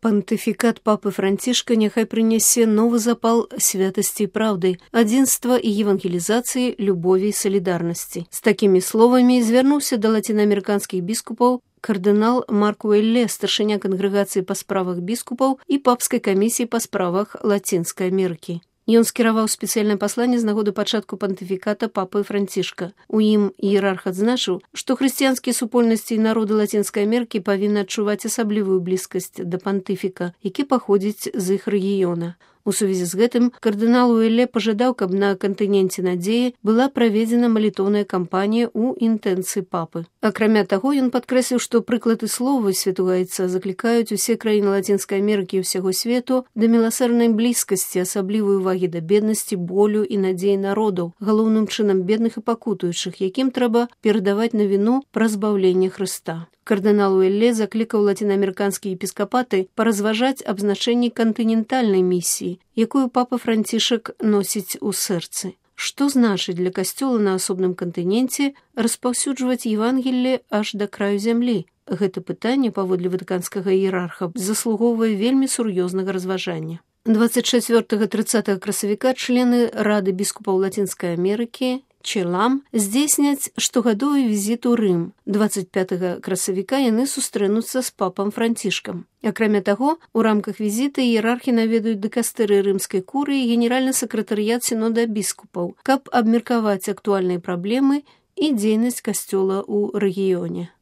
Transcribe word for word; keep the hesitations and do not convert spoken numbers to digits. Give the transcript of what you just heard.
Пантыфікат папы Францішка няхай прынясе новы запал святасці і праўды, адзінства і евангелізацыі, любові і салідарнасці. З такімі словамі звярнуўся да лацінаамерыканскіх біскупаў кардынал Марк Уэлле, старшыня кангрэгацыі па справах біскупаў і папскай камісіі па справах Лацінскай Амерыкі. Ён скіраваў спецыяльнае пасланне з нагоды пачатку пантыфіката папы Францішка. У ім іерарх адзначыў, што хрысціянскія супольнасці і народы Лацінскай Амерыкі павінны адчуваць асаблівую блізкасць да пантыфіка, які паходзіць з іх рэгіёна. У сувязі з гэтым кардынал Уэлле пажадаў, каб на кантыненце надзеі была праведзена малітоўная кампанія ў інтэнцыі папы. Акрамя таго, ён падкрэсліў, што прыклады словы святога айца заклікаюць усе краіны Лацінскай Амерыкі і ўсяго свету да міласэрнай блізкасці, асаблівай увагі да беднасці, болю і надзеі народаў, галоўным чынам бедных і пакутуючых, якім трэба перадаваць навіну пра збаўленне Хрыста. Кардынал Уэлле заклікаў лацінаамерыканскія епіскапаты паразважаць аб значэнні кантынентальнай місіі, якую папа Францішак носіць у сэрцы. Што значыць для касцёла на асобным кантыненце распаўсюджваць Евангелле аж да краю зямлі? Гэта пытанне, паводле ватыканскага іерарха, заслугоўвае вельмі сур'ёзнага разважання. дваццаць чацвёртага - трыццатага красавіка члены Рады біскупаў Лацінскай Амерыкі Челам здзейсняць штогадовы візіт у Рым. дваццаць пятага красавіка яны сустрэнуцца з папам Францішкам. Акрамя таго, у рамках візіта іерархі наведаюць дыкастэры рымскай курыі і генеральны сакратарыят сінода біскупаў, каб абмеркаваць актуальныя праблемы і дзейнасць касцёла ў рэгіёне.